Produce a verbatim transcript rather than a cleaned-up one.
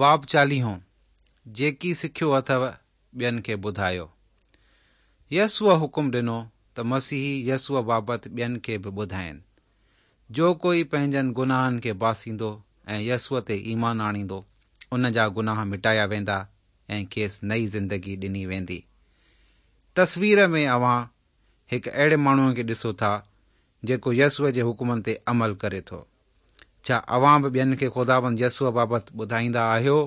باب چاليهون، جيڪي سکيو اٿو ٻين کي ٻڌايو. يسوع حڪم ڏنو ته مسيحي يسوع بابت ٻين کي به ٻڌائين. جو ڪوئي پنهنجن گناهن کي باسيندو ۽ يسوع تي ايمان آڻيندو، ان جا گناهه مٽايا ويندا ۽ کيس نئين زندگي ڏني ويندي. تصوير ۾ اوهان هڪ اهڙي ماڻهوء کي ڏسو ٿا جيڪو يسوع جي حڪمن تي عمل ڪري ٿو. ڇا اوهان به ٻين کي خداوند يسوع بابت ٻڌائيندا آهيو؟